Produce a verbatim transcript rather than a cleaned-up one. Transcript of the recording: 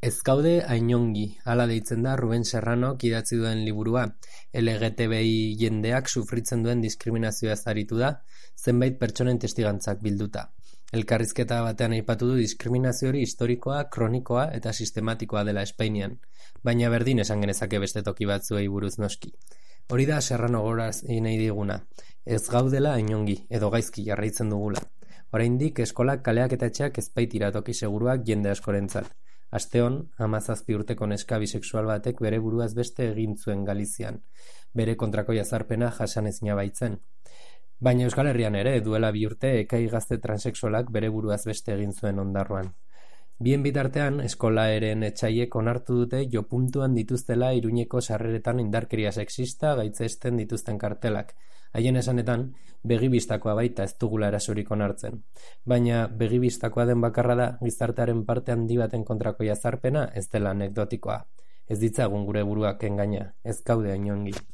Ez gaude hainongi, hala deitzen da Ruben Serranok idatzi duen liburua. L G T B I jendeak sufritzen duen diskriminazioaz aritu da, zenbait pertsonen testigantzak bilduta. Elkarrizketa batean aipatu du diskriminazio hori historikoa, kronikoa eta sistematikoa dela Espainian, baina berdin esan genezake beste toki batzuei buruz noski. Hori da Serrano gogorazi nahi diguna, ez gaudela hainongi, edo gaizki jarraitzen dugula. Oraindik eskolak, kaleak eta etxeak ez baitira toki seguruak jende askorentzat. Asteon, hamazazpi urteko neska bisexual batek bere buruaz beste egin zuen Galizian, bere kontrako jazarpena jasanezina baitzen. Baina Euskal Herrian ere, duela bi urte, ekai gazte transexualak bere buruaz beste egin zuen Ondarroan. Bien bitartean, eskola eren etxaiek onartu dute jopuntuan dituztela Iruñeko sarreretan indarkeria sexista gaitzesten dituzten kartelak. Haien esanetan, begibistakoa baita ez dugula erasorik onartzen. Baina begibistakoa den bakarra da, gizartearen parte handi baten kontrako jazarpena ez dela anekdotikoa. Ez ditzagun gure buruak engaina, ez gaude hainongi.